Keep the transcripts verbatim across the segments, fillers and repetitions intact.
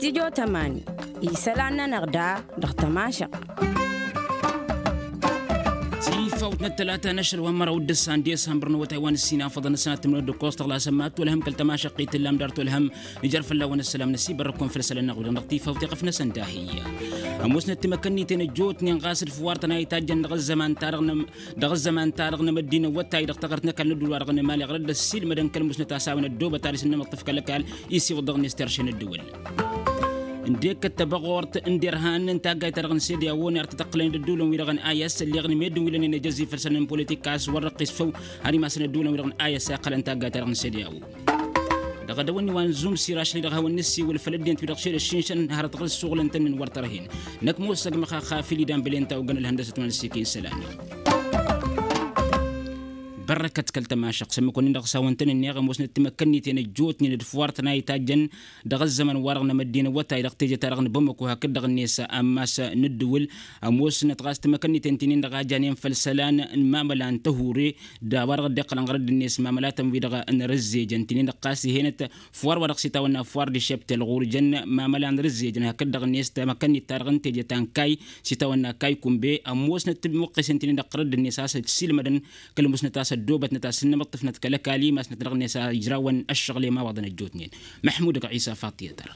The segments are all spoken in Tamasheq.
Tijo tămani isălan-nănăɣ da dăɣ-tămašăɣt. Tifawt n-ăttălata n-ašăl wa n-măraw d-ǝssan desambăr n-awătay wa n-ǝssin afăḍăn ăssanat timǝrăw d-ǝkkoẓ tăɣlasăn ma t-tolhăm kăl-tămašăɣt i-tǝllam dar tolhăm. Ijăr fălla-wen ăssălam n-ăsibărrăkun făll-isălan n-aɣudăn dăɣ-tifawt iɣăf-năsăn dahiy. Ămoosnăt timăkănniten ăjjootnen ɣas d-făwar-tăn a itajjăn dăɣ-ăzzăman-ta-dăɣ n-ămăddin awătay dăɣ-taɣărt n-ăkall n-ădduul-wa-dăɣ n-emali ɣărăt d-ăssiilmădăn kăl-musnăt a-s a-wen ăddoobăt ad-isǝnnămăḍ tǝfkăl ăkall. Isiwǝḍ dăɣ-net terše n-ăddǝwǝl ǝndek d-tăbăɣort n-derhan n-taggayt-ta-dăɣ n-sede a-won ar tăt-ăqqǝlăn d-ădduulăn-wi-dăɣ n-ayăs ălleɣ n-meddǝn wi lănen ejăzzi făll-isălan n-politik a-s wăr-răqqis făw. Har imasăn ădduulăn-wi-dăɣ n-ayăs a iqqălăn taggayt-ta-dăɣ n-sede a-won. Dăɣ-edăwănni wa n-zumsir ašăl-i-dăɣ hawăn-nǝssiwǝl făll-ăddinăt-wi-dăɣ šel ăššinšăn hărăt ɣǝl ǝssuɣǝlăn-tăn-in wăr tărhen. Năkk mossăg măxaxa fil-idan bălen ta ogăn ălhăndăsăt wa n-ăssiiken isălan. Bărrăkăt kăl-tămašăɣt s-ămmǝk-wăn-in-dăɣ s-hawăn-tăn-ǝnneɣ ămoosnăt timăkkănniten ăjjootnen d-făwar-tăn a itajjăn dăɣ-ăzzăman-wa-dăɣ n-amăddin awătay dăɣ-teje-ta-dăɣ n-bamăko hakd-dăɣ-net ammas n-ǝddǝwǝl. Ămoosnăt ɣas timăkkănniten ti-nin-dăɣ a janen făll-isălan n-imamăla n-tăhure d-a-wa-dăɣ dd-iqqălăn ɣărăt d-net mamălatăn-wi-dăɣ n-rǝzzejăn ti-nin-dăɣ ɣas ih'-enăt. Făwar-wa-dăɣ s-itawănna făwar d-išeptel ɣur-jăn mamăla n-rǝzzejăn hakd-dăɣ-net timăkkănnit-ta-dăɣ n-teje ta n-kayy s-itawănna kayy kunbe ămoosnăt tǝmmuqqesen ti-nin-dăɣ ɣărăt d-net a-s ăssiilmădăn kăl-musnăt a-s ăddoobătnăt a-s ǝnnămăṭṭǝfnăt kăl-ăkall imasnăt dăɣ-net a ijrawăn ăššăɣlem a-wa dăɣ-năjjootnen. Măḥmud ăgg-ɣisa faṭ i-tăra.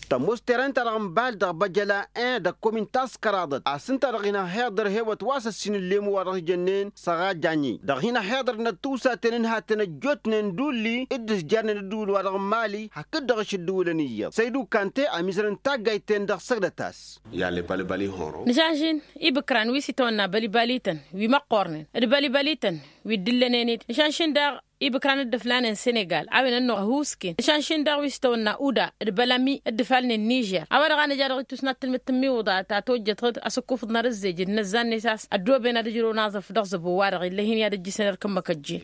Tămoos terăn-ta-dăɣ n-bal dăɣ-băjăla en dăɣ-komin taskăraḍăt a-s ǝnta-dăɣ hin-ăhhiḍăr hewăt wa s-ăssin ǝllem wa dăɣ-s jănnen săɣajjañi dăɣ-hin-ăhhiḍăr n-ăttusaten n-hatten ăjjootnen d-ulli d-ǝzjarnen ǝddǝwǝl-wa-dăɣ n-mali hakd-dăɣ ašăl ǝddǝwǝlăn iyyăḍ săydu kante ămizărăn taggayt-ten-dăɣ săgdăt-as. Nǝšanšin ibǝkran wi s-itawănna bălibalităn wi măqqornen d-bălibalităn wi dd-ǝllănen-dd nǝšanšin daɣ ibǝkran dd-ǝflanen senegal a-wen ănnuɣ ăhuusken nǝšanšin daɣ wi s-itawănna uda d-bălami dd-ǝfalnen nižer a-wa-dăɣ a nǝja dăɣ-ittus n-ad-tǝlmǝd tǝmmiwǝḍa ta tojjăt ɣǝd asǝkkufǝḍ n-arǝzzejǝd n-ăzzan-net a-s ăddooben ad-ăjrăwăn aẓǝf dăɣ-zăbo-wa-dăɣ ill'-e-hin i-ad-ăjjǝsăn erk ǝmmǝk ăjjeen.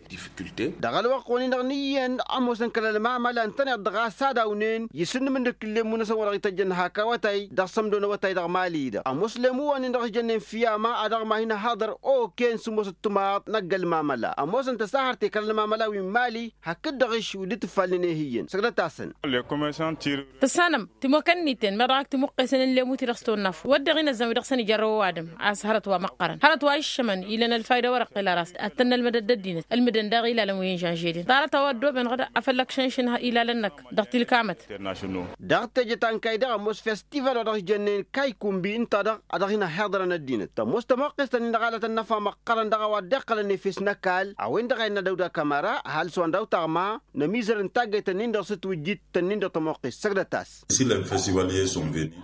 Dăɣ-ălwăqq-wen-in-dăɣ n-iyyăn ămoosăn kăl-ălmamăla ǝntăneḍ-dăɣ a-s ad-awnen isǝnnǝmǝndǝk ǝllemmu-năsăn wa dăɣ-ităjjăn hak awătay dăɣ-sămdo n-awătay dăɣ-mali-dăɣ ămoos lemmu-wen-in-dăɣ ǝjjănnen fiyama ad-dăɣ-ma hin-ăhaḍăr oken s-ămoosăt timaḍ năgg ălmamăla ămoosăn tăsahărt i-kăl-ălmamăla wi n-mali hakd-dăɣ-eš wi dd-tǝfalnen ehǝyyăn săgdăt-asăn. Tǝssanăm timokănniten meɣ dăɣ-ak timuqqesăn n-lemmu-ti-dăɣ s-tăwănnaf wădden inăzzan wi dăɣ-săn ija ărrăw ăwadǝm a-s hărăt wa măqqărăn hărăt wa iššămăn ilăn ălfayda wăr-ăqqel ara a-s ad-tăn-nălmădăd d-ăddinăt ǝlmǝdăn daɣ ilalăn wi n-žănžedin ḍarăt a-wa ăddooben ɣǝd afăl ăkšănšǝn ilalăn-năk dăɣ-tilkamăt. Dăɣ-teje ta n-kayy daɣ ămoos festival wa dăɣ-s jănnen kayy kunbi ǝnta-dăɣ a dăɣ-hin-ăhhiḍărăn ăddinăt tămoos tămoqqest-nin-dăɣ alăt ănnăfa măqqărăn dăɣ-a-wa dd-iqqălăn efes n-ăkall a-wen-dăɣ a innă dăw-dd-akămăra ăhalǝs wa n-daw-taɣma. Nămizăr n-taggayt-nin-dăɣ s-ǝtwǝjjit-tăn-in-dăɣ tămoqqest săgdăt-as.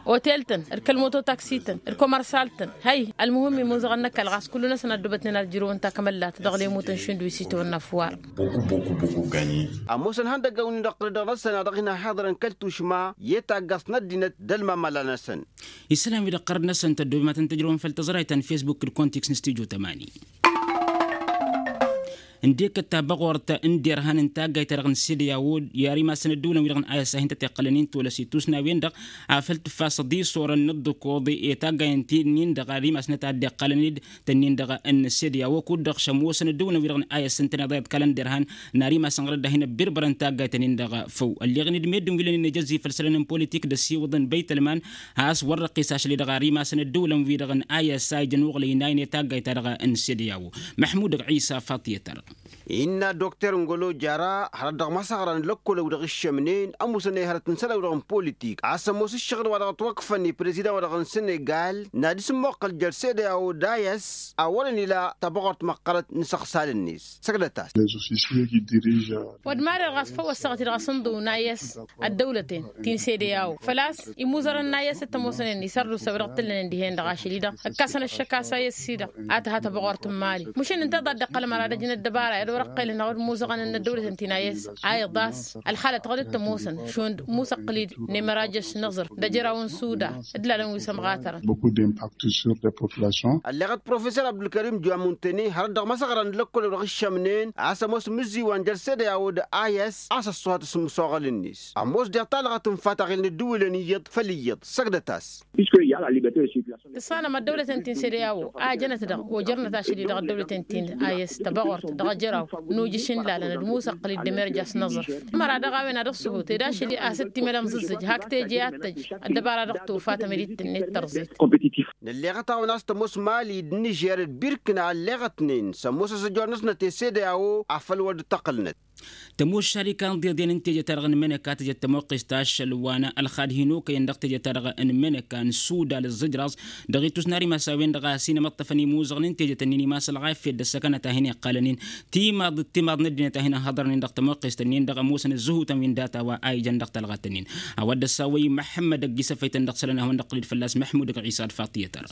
Otel-tăn d-kăl-mototaksi-tăn d-komărsal-tăn hăy ălmuhǝm imuzăɣăn n-ăkall ɣas kullu-năsăn ăddubătnen ad-ǝjrǝwăn takămăllat dăɣ-lemutăn šund wi s-itwănna făwar. Ămoosăn ihăndăggan-win-dăɣ tădăɣ-năsăn a dăɣ-hin-ăhhiḍărăn kăl-tušma i-taggast n-ăddinăt d-ălmamăla-năsăn. Isălan-wi-dăɣ ɣărăt-năsăn tăddoobem ad-tăn-tǝjrǝwăn făll-tăẓrayt ta n-fesbuk d-konteks n-stujo tămani. Ǝndek d-tabăɣort n-derhan n-taggayt-ta-dăɣ n-sede i-a-wod i-ar imasăn ădduulăn-wi-dăɣ n-ayăssa hin-tăt-iqqălăn-in tolăs itusnawen-dăɣ. Afăl tǝffasăḍ isorăn n-ǝḍḍǝkoḍ i-taggayăn ti-nin-dăɣ ar imasnăt ad-dd-iqqălăn-dd tănnin-dăɣ n-sede i-a-wod kud-dăɣ šăm wosăn ădduulăn-wi-dăɣ n-ayăssa ǝntăneḍ a iḍkălăn derhan n-ar imasăn ɣărăt dahin ăbbirbărăn taggayt-tăn-in-dăɣ făw ălleɣăn-dd meddǝn wi lănen ejăzzi făll-isălan n-politik d-ăsiwǝḍăn băytălman. Has wăr-răqqis ašăl-i-dăɣ ar imasăn ădduulăn-wi-dăɣ n-ayăssa ijăn uɣlăy-naynen taggayt-ta-dăɣ n-sede i-a-wod. Măḥmud ăgg-ɣisa faṭ i-tăr. Innă dokter n-golo jara hărăt dăɣ-imăsăɣra n-lăkkol-ăw dăɣ-iššămnen ămuusăn i-hărăt n-isălan-ăw dăɣ-n politik a-s ămoos ǝššăɣǝl wa dăɣ-ătwăkfăn i-prezidan wa dăɣ-n senegal n-ad-isǝmmoqqăl jer-sede a-wod ayăs a wărăn ila tabăɣort măqqărăt n-isăɣsal-net. Săgdăt-as. Wăr d-marăr ɣas făw ăssaɣăt-i-dăɣ asǝnḍǝw n-ayăs ăddăwlăten ti n-sede a-wod făl-a-s imuzărăn n-ayăs t-ămoosănen isărdusa wi-dăɣ t-ǝllănen dihen-dăɣ ašăl-i-dăɣ ǝkkasăn ăššăk a-s ayăs-i-dăɣ a tǝha tabăɣort n-mali măšin ǝnta a ḍadd-iqqălăm ara ad-ăjnăt dăbara i-ad-wăr-ăqqelăn a wăr-ămuzăɣăn n-ăddăwlăten ti n-ayăs a iḍas ălxalăt ɣǝd t-ămoosăn šund musăqqǝl-dd n-emărajes n-aẓrǝf d-ajăraw n-suda d-ilalăn wi s-ămɣatărăn. Ălleɣăt profesor abdulkărim juamuntăne hărăt dăɣ-imăsăɣra n-lăkkol-ăw dăɣ-iššămnen a-s ămoos imǝzziwăn jer-sede a-wod ayăs a-s ăṣṣuhat s-imǝsoɣăl-net ămoos deɣ talɣăt n-fataɣel n-ăddǝwǝlăn iyyăḍ făll-iyyăḍ săgdăt-as. Tǝssanăm ăddăwlăten ti n-sede a-wo a jănăt-dăɣ ojărnăt ašăl-i dăɣ-ăddăwlăten ti n-ayăs tăbăɣort. Ăjăraw n-ujǝš n-lalăn d-musăqqǝl-dd ămerja s-năẓrǝf. Măra dăɣ-a-wen ad-ăṣṣăhut ed ašăl a-s dd-timălăm zǝzzǝj hak teje ad-tăj ăddăbara dăɣ-tufa tămălit-net tărẓet. Nălleɣăt-awăn a-s tămoos mali d-nižer d-birkǝna ălleɣătnen s-ămoos ăzzăjor-năsnăt i-sede a-wo afăl wăr dd-tăqqǝlnăt. Tămoos šarika n-iḍeḍen n-teje-ta-dăɣ n-imǝnǝka tǝjăt tămoqqest ašăl wa n-ălxad hin-okăyăn dăɣ-teje-ta-dăɣ n-imǝnǝka n-sudal ǝẓẓǝjraẓ. Dăɣ-ittus n-ar imas a-wen-dăɣ a-s hin-imǝṭṭăfăn imuzăɣăn n-teje-tăn-in imas ălɣafyăt d-ăssăkănăt a hin-iqqalăn-in timaḍ d-timaḍ n-ăddinăt a hin-ăhhăḍărnen dăɣ-tămoqqest-nin-dăɣ ămoosăn ǝzzǝhutăn wi n-data wa a ijăn dăɣ-talɣat-nin. A-wa dd-ăssawăy măḥămmăd ăgg-isăfăytăn dăɣ-isălan ad-hawăn-dd-ăqqǝlăd fălla-s măḥmud ăgg-ɣisa d-faṭiyăt-ărr.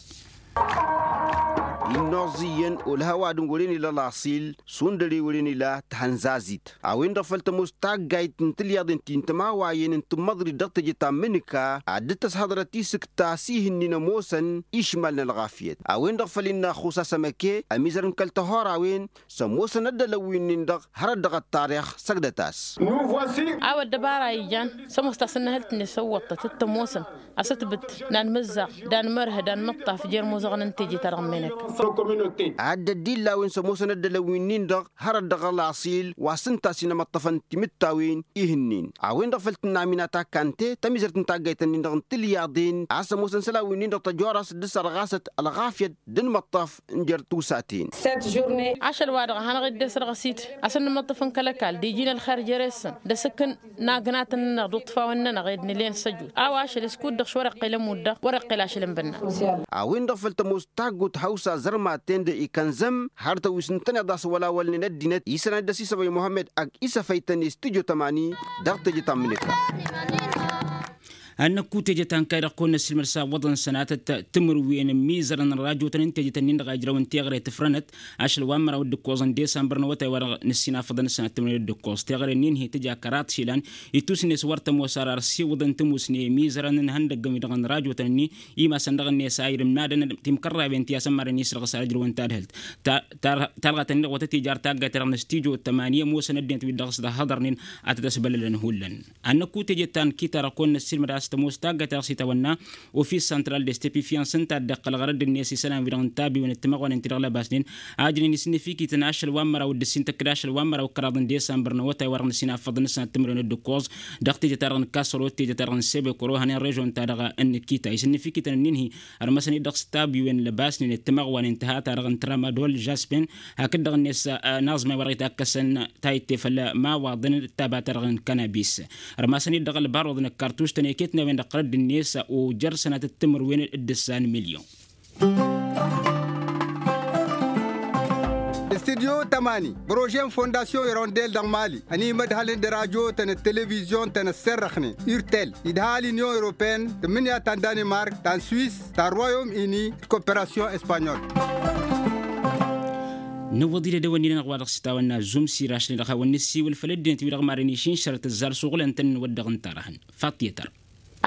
Innoẓ iyyăn olhăwadǝn wăren ila laṣil šund ăre wăren ila tihănzazit. A-wen-dăɣ făl tămoos taggayt n-tilyaḍen ti n-tămawayen n-tǝmmăḍrit dăɣ-teje ta n-imǝnǝka ad-dd-tăshăḍrăt isǝkta s-ihǝnnin ămoosăn išmal n-ălɣafyăt. A-wen-dăɣ făl innă ăxxus a-s ămăke ămizărăn kăl-tăhor a-wen s-ămoosăn ăddălăn wi-nin-dăɣ hărăt dăɣ-ăṭṭarix săgdăt-as. A-wa ăddăbara ijan s-ămoos tasǝnnăhǝlt-net s-ăwwăṭṭăt t-ămoosăn asǝtbǝt d-anmǝzzaɣ d-anmărhǝd d-anmǝṭṭaf jer-imuzăɣăn n-teje-ta-dăɣ n-menăk. Ad-dd-illa a-wen s-ămoosăn ăddălăn wi-nin-dăɣ hărăt dăɣ-ălaṣil wa s-ǝnta a-s hin-ămăṭṭăfăn timǝttawen ihǝnnin. A-wen-dăɣ făl tǝnna aminat akkante tămizărt n-taggayt-nin-dăɣ n-tilyaḍen a-s ămoosăn isălan wi-nin-dăɣ tăjorăs d-asărɣasăt ălɣafyăt d-anmăṭṭaf n-jer-tusaten. Ašăl-wa-dăɣ a hanăɣ-dd-e-s ărɣăsit a-s ănnămăṭṭăf n-kăl-ăkall d-iji n-ălxer jere-săn d-asǝkkǝn n-agnatăn-nănăɣ d-uṭṭfawăn-nănăɣ ed nǝlen săjut. A-wa ašăl s-kud-dăɣ šwăr-iqqel ămudd-dăɣ wăr-iqqel ašăl n-bănna. A-wen-dăɣ făl tămoos taggut hawsa zărmaten d-ikănzăm hărătăn wi s-ǝntăneḍ a-s wăla wălnen ăddinăt isălan dd-ăsisăbăy muhămmăd ăgg isăfăytăn i-studyo tămani. Dăɣ-teje ta n-imǝnǝka. Ad-năkku teje ta n-kayy-dăɣ kăwăn-năssilmăd s-awwăḍăn sănatăt timǝrwen ămmiizărăn n-rajotăn n-teje ta n-in-dăɣ a ijrăwăn teɣăre tǝfrănăt ašăl wa n-măraw d-ǝkkoẓăn desambăr n-awătay wa dăɣ-năssinafăḍăn s-sănat timǝrwen d-ǝkkoẓ teɣăre-nin hi-tǝja kăraḍ išilan. Ittus-net wăr tămoos ar arsiwǝḍăn tămusne ămmiizărăn n-ihăndăggăn wi-dăɣ n-rajotăn-ni imasăn dăɣ-net a irǝmnadăn timkărrawen ti asămmaren isrăɣ s-ad-ǝjrăwăn tadhǝlt talɣa-tăn-in-dăɣ wa tăt-ija ar taggayt-ta-dăɣ n-studyo tămani ămoosăn ăddinăt wi-dăɣ s-dd-ăhhăḍărnen ad-tăt-ăsbălălăn hullan. Ad-năkku teje ta n-kita-dăɣ kăwăn-năssilmăd a-s tămoos taggayt-ta-dăɣ s-itawănna ofis santral de stepifyans ǝnta a dd-iqqăl ɣărădd-net isălan-wi-dăɣ n-tabiwen d-timăɣwanen ti-dăɣ lăbasnen a ǝjnen isǝnnǝfikităn ašăl wa n-măraw d-ǝssin tăkk d-ašăl wa n-măraw d-kăraḍ n-desambăr n-awătay wa dăɣ-năsinafăḍ n-sănat timǝrwen d-ǝkkoẓ dăɣ-teje-ta-dăɣ n-kasăro d-teje-ta-dăɣ n-sebekoro hănen režon-ta-dăɣ n-kita isǝnnǝfikităn ǝnnin-hi ărmăsăn-dd dăɣ-s tabiwen lăbasnen d-timăɣwanen tǝha-ta-dăɣ n-tramadol žaspen hakd-dăɣ-net n-aẓmay wa dăɣ-itakkăsăn ta itte făll-imawaḍăn d-taba-ta-dăɣ n-kanabis. Ărmasăn-dd dăɣ-ălbaruḍ n-ăkkartuš-tăn iket n-a-wen-dăɣ tărădd-net ojer sănatăt timǝrwen d-ǝssan milyon. Studyo tămani prože n-fondasyon irondel dăɣ-mali ănimădhălăn d-rajotăn d-televizyon-tăn ăsserrăxnen urtel idha l-inyon europeen tǝmmǝnǝya ta n-danimark ta n-swis ta n-royom ini d-koperasyon espanyol. Nǝwwăḍ-dd edăwănnin-anăɣ wa dăɣ-s itawănna zumsir ašăl-i-dăɣ hawăn-nǝssiwǝl făll-ăddinăt-wi-dăɣ maren išǝnšărăt ăzzar suɣǝlăn-tăn n-wăr dăɣ-ǝnta-dăɣ-hăn. Faṭṭiyăt-ărr.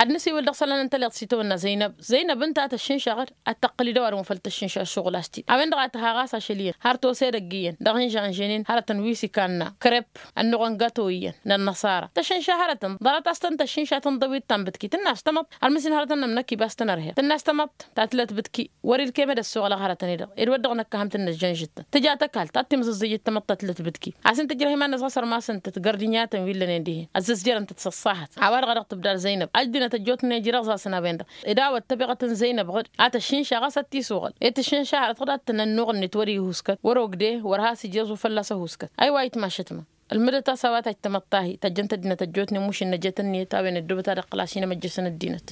Ad-nǝsiwǝl dăɣ-isălan n-tăliḍt s-itawănna zăynăb zăynăb ǝnta a tăššǝnša ad-tăqqǝl-dd ăwadǝm wa făl tăššǝnša ăššuɣǝl a-s t-dd-hawăn-dăɣ a tǝha ɣas ašăl iyyăn har tosed ăgg-iyyăn dăɣ-inžănžănen hărătăn wi s-ikanna krep ănnuɣăn gato iyyăn n-ănnăṣara tăššǝnša hărătăn ḍarăt a-s tăn-tăššǝnša tăn-dăwit ta n-bǝtki tǝnna a-s tamăḍt har mǝssin hărătăn n-ămnăk ibas-tăn ărher tǝnna a-s tamăḍt ta tǝlăt bǝtki wăr-ilkem ad-ăssoɣălăɣ hărătăn-i-dăɣ ed wăr dăɣ-năkk a ham-tǝnnăzzănžǝt-tăn tǝja tăkall ta t-timẓǝẓẓǝjǝt tamăḍt ta tǝlăt bǝtki a-s ǝnta ǝjrăh iman-năsɣas ărmasăn-tăt gărdinyatăn wi ǝllănen dihen ăzzăzjărăn-tăt s-ăṣṣahat. A-wa-dăɣ a dăɣ-tǝbdad zăynăb ăddinăt ăjjootnen ijrăɣẓasăn a-wen-dăɣ ed a-wa ăttăbeɣăt n-zăynăb ɣǝd a tăššǝnša ɣas ad-t-isuɣǝl ed tǝššǝnša hărăt ɣǝd ad-tăn-ănnuɣ-net wăr-ihuskat wăr-ogde wăr has-ija aẓu fălla-s ăhuskăt. Aywa itmašăt ma ălmǝdăt a-s a-wa tajj tamăḍt-ahi tăjjăn-t ăddinăt ăjjootnen mušǝn năjet ǝnniyăt a-wen ăddoobăt ad-iqqǝl ašinăm ăjjăsăn ăddinăt.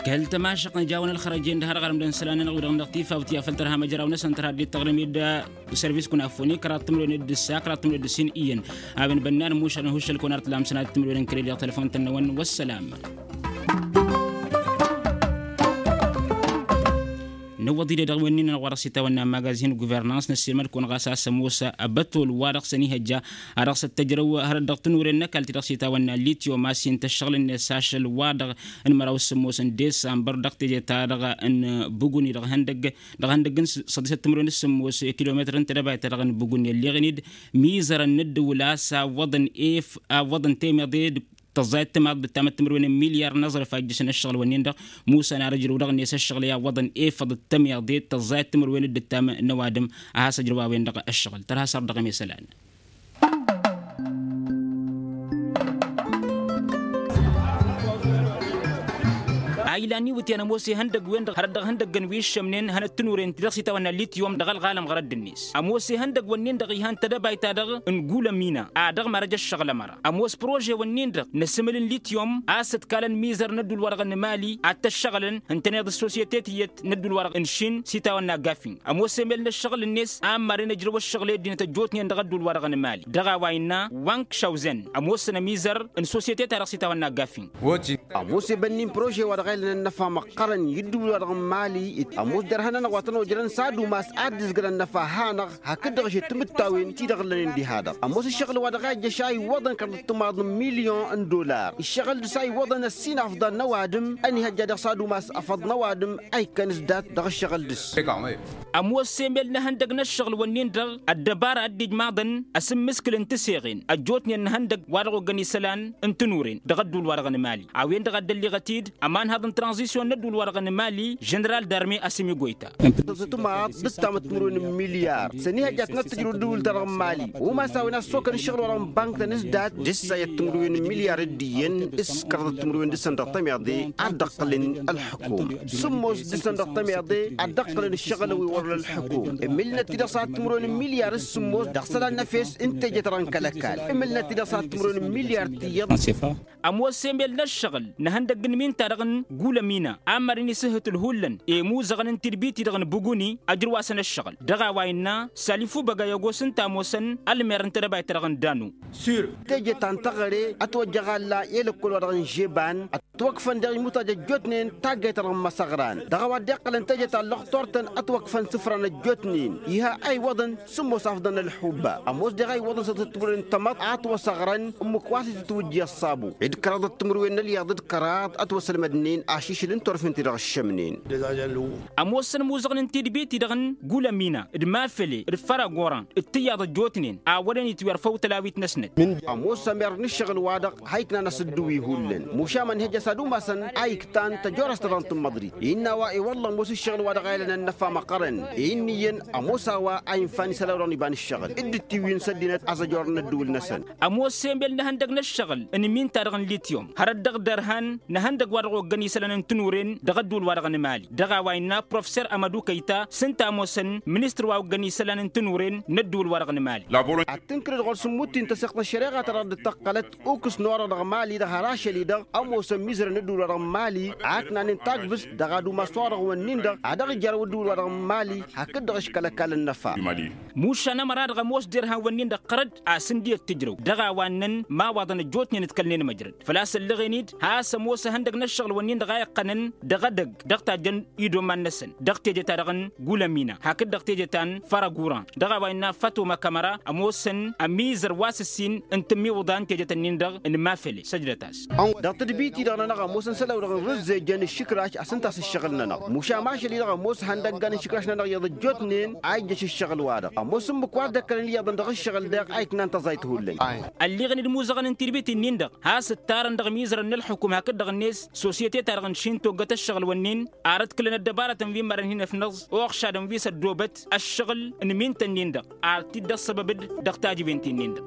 Kăl-tămašăɣt nǝjawăn ălxărăjen d-hărɣărăm d-ănšălan-nănăɣ wi-dăɣ n-dăɣ-tifawt i-afăl tărha măjraw-năsăn tărha dd-tăɣrǝm-dd s-service kănafoni kăraḍ timǝrwen d-ǝssa kăraḍ timǝrwen d-ǝssin iyyăn a-wen bănnan mušălăn hušăl-kăwăn ar t-lamsăn ad-timǝrwen n-kăre-di dăɣ-telăfon-tăn-năwăn wăssălam. Nǝwwăḍ-dd edăɣ wen-nin-nănăɣ wa dăɣ-s itawănna magazin guvernans năssiilmăd-kăwăn ɣas a-s ămoos abătol wa dăɣ-săn ihăjja a dăɣ-săn tăjrăw hărăt dăɣ-tănuren n-ăkall ti-dăɣ s-itawănna litiyom a-s hin-tăššăɣǝl-net ašăl wa-dăɣ n-măraw s-ămoosăn desambăr dăɣ-teje-ta-dăɣ n-buguni dăɣ-ihăndăgg dăɣ-ihăndăgg n-săḍisăt timǝrwen s-sămoos kilometăr n-tedăbayt-ta-dăɣ n-buguni ălleɣen-dd mizărăn n-ăddǝwǝl a-s awwăḍăn ef awwăḍăn temeḍe. Tăẓẓayăt timaḍ d-ǝttamăt timǝrwen n-milyar n-aẓrǝf a ijjǝsăn ǝššăɣǝl-wǝnnin-dăɣ. Musăn ar ǝjrǝw dăɣ-net ǝššăɣǝl i-awwăḍăn efăḍ d-tămiḍe tăẓẓayăt timǝrwen d-ǝttam n-ăwadǝm a has-ǝjrǝwawăn dăɣ-ǝššăɣǝl tărha s-ar dăɣ-emesălan. A ilan iwǝtyan ămoos ihăndăgg-wen-dăɣ hărăt dăɣ-ihăndăgg n-wi ǝššămnen hănăt tǝnuren ti dăɣ-s itawănna lityum dăɣ-ălɣalăm ɣărădd-net. Ămoos ihăndăgg-wǝnnin-dăɣ ihăn tădăbayt-ta-dăɣ n-gulămina a dăɣ-marăj ăššăɣǝl ămăra. Ămoos prože-wǝnnin-dăɣ n-asǝmǝl n-lityum a-s ǝtkalăn mizăr n-ădduul-wa-dăɣ n-emali ad-t-ăššăɣǝlăn ǝntăneḍ ăssosiyete tiyyăt n-ădduul-wa-dăɣ n-šin s-itawănna gafin. Ămoos emel n-ǝššăɣǝl-net a ămmarăn ǝjrăw ăššăɣǝl i-ăddinăt ăjjootnen dăɣ-ădduul-wa-dăɣ n-emali dăɣ-a-wa innă wank šawzen ămoosăn ămizăr n-sosiyete-ta-dăɣ s-itawănna gafin. Ămoos ebănnin prože-wa-dăɣ a ilănăn năfa măqqărăn i-ǝddǝwǝl-wa-dăɣ n-mali. Ămoos derhan-nănăɣ wa tăn-ojrăn s-ad-umas ad-dd-ǝzgǝlăn năfa hanăɣ hakd-dăɣ ašăt timǝttawin-ti-dăɣ ǝllănen diha-dăɣ. Ămoos ǝššăɣǝl-wa-dăɣ a ijjăš a iwwăḍăn kăraḍăt timaḍ n-milyon n-dollar ǝššăɣǝl dăɣ-s a iwwăḍăn ăssin afḍăn n-ăwadǝm. Ănihăjja dăɣ-s ad-umas afăḍ n-ăwadǝm a ikkăn s-dat dăɣ-ǝššăɣǝl dăɣ-s. Ămoos emel n-ehăndăg n-ăššăɣǝl-wǝnnin-dăɣ ăddăbara a dd-ijmaḍăn asǝmmǝskǝl n-tiseɣen ăjjootnen n-ehăndăg wa dăɣ-oggăn isălan n-tinuren dăɣ-ădduul-wa-dăɣ n-emali. A-wen-dăɣ a dd-ălliɣăt-dd ămanhăḍ n-tranzisyon n-ădduul-wa-dăɣ n-emali ženeral darme asǝmi goyta. Tăẓǝtǝmaḍ d-ǝttamăt timǝrwen n-milyar s-ănihăjja ad-tăn-ăttǝjrǝw ădduul-ta-dăɣ n-emali. Umas a-wen a ăssokăn ǝššăɣǝl-wa-dăɣ n-bank-tăn s-dat dăr-s a iyyăt timǝrwen n-milyar d-iyyăn s-kăraḍăt timǝrwen dăɣ-săn dăɣ-tămiḍe ad-dd-ăqqǝlăn ălḥukuma. Sǝmmos dăɣ-săn dăɣ-tămiḍe ad-dd-ăqqǝlăn ǝššăɣǝl wi wăr-ălḥukum. Ǝmmǝlnăt-t-dăɣ s-ad-timǝrwen n-milyar s-sǝmmos dăɣ-isălan n-efes n-teje-ta-dăɣ n-kăl-ăkall. Ǝmmǝlnăt-t-dăɣ s-ad-timǝrwen n-milyar tiyyăḍ. Ămoos emel n-ăššăɣǝl n-ehăndăgg n-iminta-dăɣ n-gulămina a ămmarăn isǝhhǝtǝl hullan i-imuzăɣăn n-tidbit-i-dăɣ n-buguni ăjrǝw-asăn ăššăɣǝl dăɣ-a-wa innă salifu băgăy ăgos ǝnta a ămoosăn ălmer n-tedăbayt-ta-dăɣ n-danu. Teje ta n-teɣăre ătwăjjăɣ alla i-ălăkkol-wa-dăɣ n-žeban ătwăkfăn deɣ imutaj ăjjootnen taggayt-ta-dăɣ n-imăsăɣran dăɣ-a-wa dd-iqqălăn teje ta n-lăxtor-tăn ătwăkfăn isǝfran ăjjootnen. Iha a iwwăḍăn sǝmmos afḍăn n-ălḥubba ămoos deɣ a iwwăḍăn săḍăt timǝrwen n-tamăḍt a ătwăsăɣrăn ǝmmǝk wa s-itǝtwǝjji ăṣṣabu d-kăraḍăt timǝrwen n-ălyaḍ d-kăraḍ ătwăsălmădnen ašǝšǝl n-turfen-ti-dăɣ ǝššămnen. Ămoosăn imuzăɣăn n-tidbit-i-dăɣ n-gulămina d-mafele d-făragoran d-tiyaḍ ăjjootnen a wăren itwirfăw tălawit-năsnăt. Ămoos ămer n-ǝššăɣǝl-wa-dăɣ ha iknan asǝddǝwi hullan mušam ănhăjja s-ad-umasăn a iktan tăjorăst-ta-dăɣ n-tǝmmăḍrit. Innă a-wa i-wălla ămoos ǝššăɣǝl-wa-dăɣ a ilănăn năfa măqqărăn i-ǝnniyăn ămoos a-wa a infa n-isălan wa dăɣ-n iba n-ǝššăɣǝl dd-ǝttiwǝyǝn s-ăddinăt a-s ăjorăn ăddǝwǝl-năsăn. Ămoos emel n-ehăndăg n-ǝššăɣǝl n-iminta-dăɣ n-lityum hărăt dăɣ-dărhan n-ehăndăg wa dăɣ-oggăn isălan n-tinuren dăɣ-ădduul-wa-dăɣ n-emali dăɣ-a-wa innă professer amădu kăyta s-ǝnta a ămoosăn ministăr wa oggăn isălan n-tinuren n-ădduul-wa-dăɣ n-emali. Ad-tǝnkǝlăd ɣur-s ǝmmut-i n-tăsiɣt n-ăššăreɣa-ta-dăɣ dd-tăqqălăt ukǝs n-orăɣ dăɣ-mali-dăɣ har ašăl-i-dăɣ ămoosăn mizărăn ădduul-wa-dăɣ n-mali a ǝknanen tagbǝst dăɣ-ad-umas orăɣ-wǝnnin-dăɣ a dăɣ-ijărrăw ădduul-wa-dăɣ n-mali hakd-dăɣ eškăl ăkall n-năfa. Mušan ămăra-dăɣ ămoos derhan-wǝnnin-dăɣ ɣărădd a-s ǝndi ăttǝjrăw dăɣ-a-wa ǝnnăn ma waḍăn ăjjootnen ǝdkălnen măjrăd făl-a-s ălleɣen-dd has-ămoos ehăndăg n-ăššăɣǝl-wǝnnin-dăɣ a iqqănăn dăɣ-edăgg dăɣ-tajjăn idoman-năsăn dăɣ-teje-ta-dăɣ n-gulămina hakd dăɣ-teje ta n-fărăguran dăɣ-a-wa innă fatoma kămăra ămoosăn ămizăr wa s-ǝssin n-tǝmmiwǝḍa n-tejet-ǝnnin-dăɣ n-mafele săjdăt-as. Dăɣ-tadbit-i-dăɣ-nănăɣ ămoosăn isălan-wa-dăɣ n-rǝzzejăn ǝššǝkraš a-s ǝnta a-s ǝššăɣǝl-nănăɣ mušam ašăl-i-dăɣ ămoos ihăndăggan n-išǝkraš-nănăɣ iyyăḍ ăjjootnen a ijjăš ǝššăɣǝl-wa-dăɣ ămoos ǝmmǝk wa dd-ăkkălăn iyyăḍăn dăɣ-ǝššăɣǝl daɣ a iknan tăẓayt hullan. Ălliɣăn-dd imuzăɣăn n-tidbit-i-nin-dăɣ has-ǝttarăn dăɣ-imizărăn n-ălxukum hakd-dăɣ-net sosyete-ta-dăɣ n-išin toggăt ăššăɣǝl-wǝnnin ar ăḍkǝlăn ăddăbarătăn wi mărăn hin-ăfnăẓ uɣšadăn wi s-ăddoobăt ăššăɣǝl n-imintăn-nin-dăɣ ar t-dd-ăṣṣăbăb-dd dăɣ-tajǝwen-ti-nin-dăɣ.